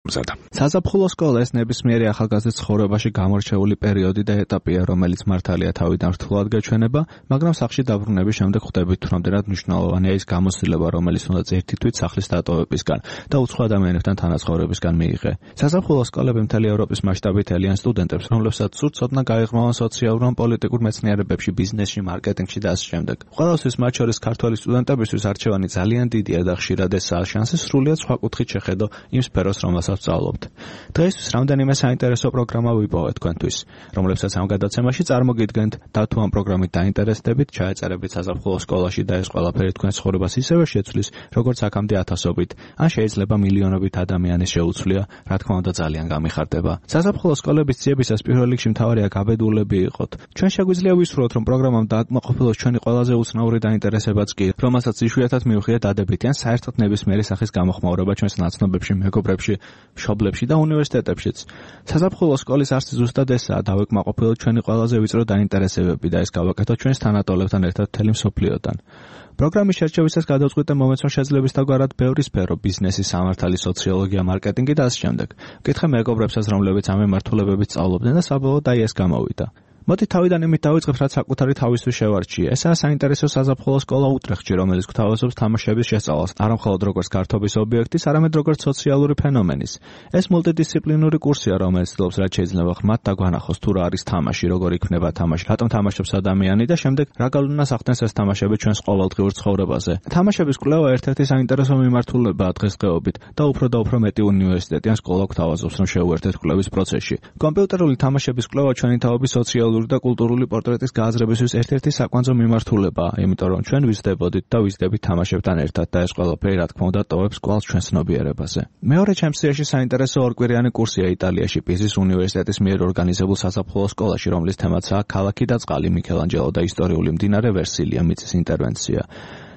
საზაფხულო სკოლა ეს ნებისმიერი ახალგაზრდის ცხოვრებაში გამორჩეული პერიოდი და ეტაპია, რომელიც მართალია თავიდან რთულად გაჩვენება, მაგრამ სახლში დაბრუნების შემდეგ ხვდებით, რომ რამდენად მნიშვნელოვანია ის გამოცდილება, რომელიც უნდა ერთი თვით სახლის დატოვებისგან და უცხო ადამიანებთან თანაცხოვრებისგან მიიღე. საზაფხულო სკოლები მთელი ევროპის მასშტაბით ელიან სტუდენტებს, რომლებსაც სურთ ცოდნა გაიღრმავონ სოციალურ ან პოლიტიკურ მეცნიერებებში, ბიზნესში, მარკეტინგში და ასე შემდეგ. ყველასთვის, მათ შორის ქართველი სტუდენტებისთვის არჩევანი ძალიან დიდია და ხშირად ესაა შანსი სრულიად სხვა კუთხით შეხედო იმ სფეროს, რომელსაც ვსწავლობთ. დღეისთვის რამდენიმე საინტერესო პროგრამა ვიპოვეთ თქვენთვის, რომლებსაც ამ გადაცემაში წარმოგიდგენთ და თუ ამ პროგრამით დაინტერესდებით, ჩაეწერებით საზაფხულო სკოლაში და ეს ყველაფერი თქვენს ცხოვრებას ისევე შეცვლის, როგორც აქამდე ათასობით, ან შეიძლება მილიონობით ადამიანის შეუცვლია, რა თქმა უნდა ძალიან გამიხარდება. საზაფხულო სკოლების ძიებისას პირველ რიგში მთავარია გაბედულები იყოთ. ჩვენ შეგვიძლია ვისურვოთ, რომ პროგრამამ დააკმაყოფილოს ჩვენი ყველაზე უცნაური დაინტერესებაც კი, რომელსაც იშვიათად მივხვდეთ დადებითი ან საერთოდ ნებისმიერი სახის გამოხმაურება ჩვენს ნაცნობებში, მეგობრებში, მშობლებში და უნივერსიტეტებშიც. საზაფხულო სკოლის არსი ზუსტად ესაა, დავეკმაყოფილოთ ჩვენი ყველაზე ვიწრო დაინტერესებები და ეს გავაკეთოთ ჩვენს თანატოლებთან ერთად მთელი მსოფლიოდან. პროგრამის შერჩევისას გადავწყვიტე მომეცნო შეძლებისთაგვარად ბევრი სფერო, ბიზნესი, სამართალი, სოციოლოგია, მარკეტინგი და ასე შემდეგ. ვკითხე მეგობრებსაც, რომლებიც ამ მიმართულებებით სწავლობდნენ და საბოლოოდ აი ეს გამოვიდა. მოდი თავიდან იმით დავიწყებთ, რაც საკუთარი თავისთვის შევარჩიე. ესაა საინტერესო საზაფხულო სკოლა უტრეხტში, რომელიც გვთავაზობს თამაშების შესწავლას, არა მხოლოდ როგორც გართობის ობიექტის, არამედ როგორც სოციალური ფენომენის. ეს მულტიდისციპლინური კურსია, რომელიც ცდილობს, რაც შეიძლება ღრმად დაგვანახოს, თუ რა არის თამაში, როგორ იქმნება თამაში, რატომ თამაშობს ადამიანი და შემდეგ რა გავლენას ახდენს ეს თამაშები ჩვენს ყოველდღიურ ცხოვრებაზე. თამაშების კვლევა ერთ-ერთი საინტერესო მიმართულებაა დღესდღეობით და უფრო მეტი უნივერსიტეტი ან სკოლა გვთავაზობს, რომ შევუერთდეთ კვლევის პროცესში. კომპიუტერული თამაშების კვლევა ჩვენი თაობის სოციალური და კულტურული პორტრეტის გააზრებისთვის ერთ-ერთი საკვანძო მიმართულებაა, იმიტომ რომ ჩვენ ვიზრდებოდით და ვიზრდებით თამაშებთან ერთად და ეს ყველაფერი რა თქმა უნდა ტოვებს კვალს ჩვენ ცნობიერებაზე. მეორე ჩემს სიაში საინტერესო ორკვირიანი კურსია იტალიაში პიზის უნივერსიტეტის მიერ ორგანიზებულ საზაფხულო სკოლაში, რომლის თემაცაა ქალაქი და წყალი, მიქელანჯელო და ისტორიული მდინარე ვერსილია, მიწის ინტერვენცია.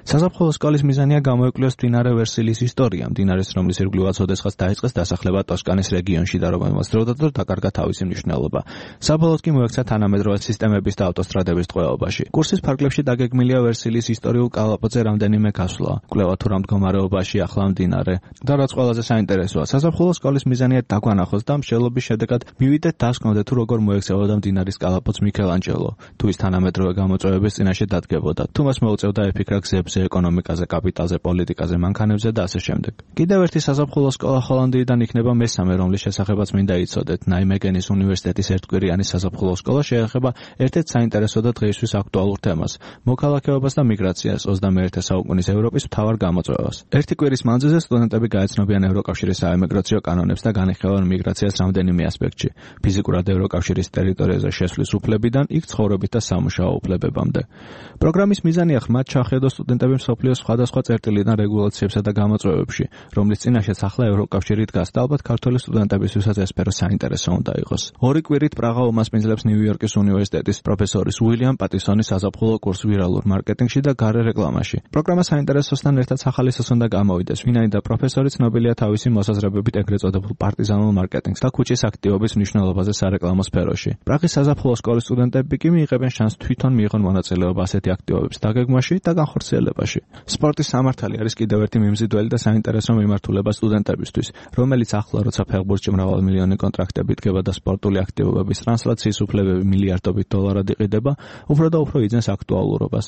საზაფხულო სკოლის მიზანია გამოეკვლიოს მდინარე ვერსილის ისტორია, მდინარის რომლის ირგვლივაც ოდესღაც დაიწყეს დასახლება ტოსკანის რეგიონში და რომელმაც დროდადრო დაკარგა თავისი მნიშვნელობა. საბოლოოდ კი მოექცა თანამედროვე სისტემების და ავტოსტრადების ტყვეობაში. კურსის ფარგლებში დაგეგმილია ვერსილის ისტორიულ კალაპოტზე რამდენიმე გასვლა, კვლევა თუ რა მდგომარეობაში ახლა მდინარე და რაც ყველაზე საინტერესოა, საზაფხულო სკოლის მიზანია დაგვანახოს და მსჯელობის შედეგად მივიდეთ დასკვნოდეთ თუ როგორ მოექცეოდა მდინარის კალაპოტს მიქელანჯელო, თუ ის თანამედროვე გამოწვევების წინაშე დადგებოდა, თუ მას მოუწევდა ეფიქრა გზებზე, ეკონომიკაზე, კაპიტალზე, პოლიტიკაზე, მანქანებზე და ასე შემდეგ. კიდევ ერთი საზაფხულო სკოლა ჰოლანდიიდან იქნება მესამე, რომლის შესახებაც მინდა იცოდეთ. ნაიმეგენის უნივერსიტეტის ერთკვირიანი საზაფხულო სკოლა შეეხება ერთ-ერთ საინტერესო და დღეისთვის აქტუალურ თემას, მოქალაქეობას და მიგრაციას, 21 საუკუნის ევროპის მთავარ გამოწვევას. ერთი კვირის მანძილზე სტუდენტები გაეცნობიან ევროკავშირის საემიგრაციო კანონებს და განიხილავენ მიგრაციას რამდენიმე ასპექტში, ფიზიკურად ევროკავშირის ტერიტორიაზე შესვლის უფლებიდან იქ ცხოვრებით და სამუშაო უფლებებამდე. პროგრამის მიზანია ხმად ჩახედოს სტუდენტები მსოფლიოს სხვადასხვა წერტილიდან რეგულაციებსა და გამოწვევებში, რომლის წინაშეც ახლა ევროკავშირი დგას და ალბათ ქართველი სტუდენტებისთვისაც ეს სფერო საინტერესო უნდა იყოს. ორი კვირით პრაღა უმასპინძლებს ნიუ-იორკის უნივერსიტეტის პროფესორის უილიამ პატისონის საზაფხულო კურს ვირალურ მარკეტინგში და გარე რეკლამაში. პროგრამა საინტერესოსთან ერთად სახალისოს უნდა გამოვიდეს, ვინაიდან პროფესორი ცნობილია თავისი მოსაზრებებით ეგრეთ წოდებულ პარტიზანულ მარკეტინგს და ქუჩის აქტივობის მნიშვნელობაზე სარეკლამო სფეროში. პრაღის საზაფხულო სკოლის სტუდენტები კი მიიღებენ შანსს თვითონ მიიღონ მონაწილეობა ასეთი აქტივობების დაგეგმვაში და განხორციელებაში. სპორტის სამართალი არის კიდევ ერთი მიმზიდველი და საინტერესო მიმართულება სტუდენტებისთვის, რომელიც ახლა როცა ფეხბურთში მრავალმილიონი კონტრაქტები დგება და სპორტული აქტივობების ტრანსლაციის უფლებები მილიარდობით დოლარად იყიდება, უფრო და უფრო იძენს აქტუალურობას.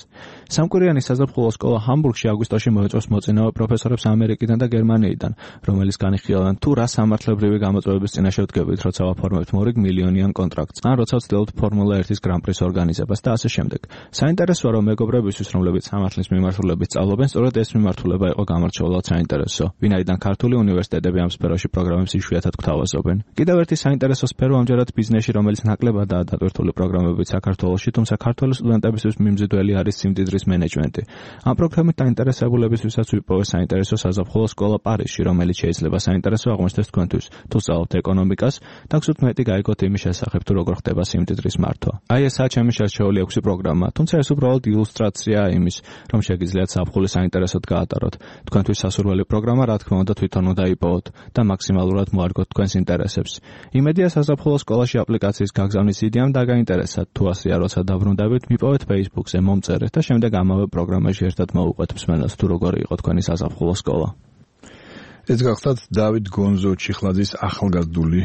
სამკვირიანი საზაფხულო სკოლა ჰამბურგში აგვისტოში მოეწევს მოწინავე პროფესორებს ამერიკიდან და გერმანიიდან, რომელიც განიხილავენ თუ რა სამართლებრივი გამოწვევების წინაშე ვდგებით, როცა ვაფორმებთ მორიგ მილიონიან კონტრაქტს, ან როცა ვცდილობთ ფორმულა 1-ის გრან-პრის ორგანიზებას და ასე შემდეგ. საინტერესოა, რომ მეგობრებისთვის, რომლებიც სამართლის მიმართულებით სწავლობენ, სწორედ ეს მიმართულება იყო გამორჩეულად საინტერესო, ვინაიდან ქართული უნივერსიტეტები ამ სფეროში პროგრამებს იშვიათად გვთავაზობენ. კიდევ ერთი საინტერესო სფერო ამჯერად ბიზნესში, რომელიც ნაკლებადაა დატვირთული პროგრამებით საქართველოში, თუმცა ქართული სტუდენტებისთვის მიმზიდველი არის სიმდიდრის მენეჯმენტი. ამ პროგრამით დაინტერესებულებისთვისაც ვიპოვე საინტერესო საზაფხულო სკოლა პარიზში, რომელიც შეიძლება საინტერესო აღმოჩნდეს თქვენთვის, თუ სწავლობთ ეკონომიკას და გსურთ მეტი გაიგოთ იმის შესახებ, თუ როგორ ხდება სიმდიდრის მართვა. აი ესაა ჩემი შერჩეული 6 პროგრამა, თუმცა ეს უბრალოდ ილუსტრაციაა იმის, რომ შეგიძლიათ საფხული საინტერესოდ გაატაროთ. თქვენთვის სასურველი პროგრამა რა თქმა უნდა თვითონ უნდა იპოვოთ და მაქსიმალურად მოარგოთ თქვენს ინტერესებს. იმედია საზაფხულო სკოლაში აპლიკაციის გაგზავნის იდეამ დაგაინტერესათ. თუ ასეა, როცა დაბრუნდებით, მიპოვეთ Facebook-ზე, მომწერეთ და შემდეგ ამავე პროგრამაში ერთად მოვუყვეთ მსმენელს თუ როგორი იყო თქვენი საზაფხულო სკოლა. ეს გახლავთ დავით გონზო ჩიხლაძის ახალგაზრდული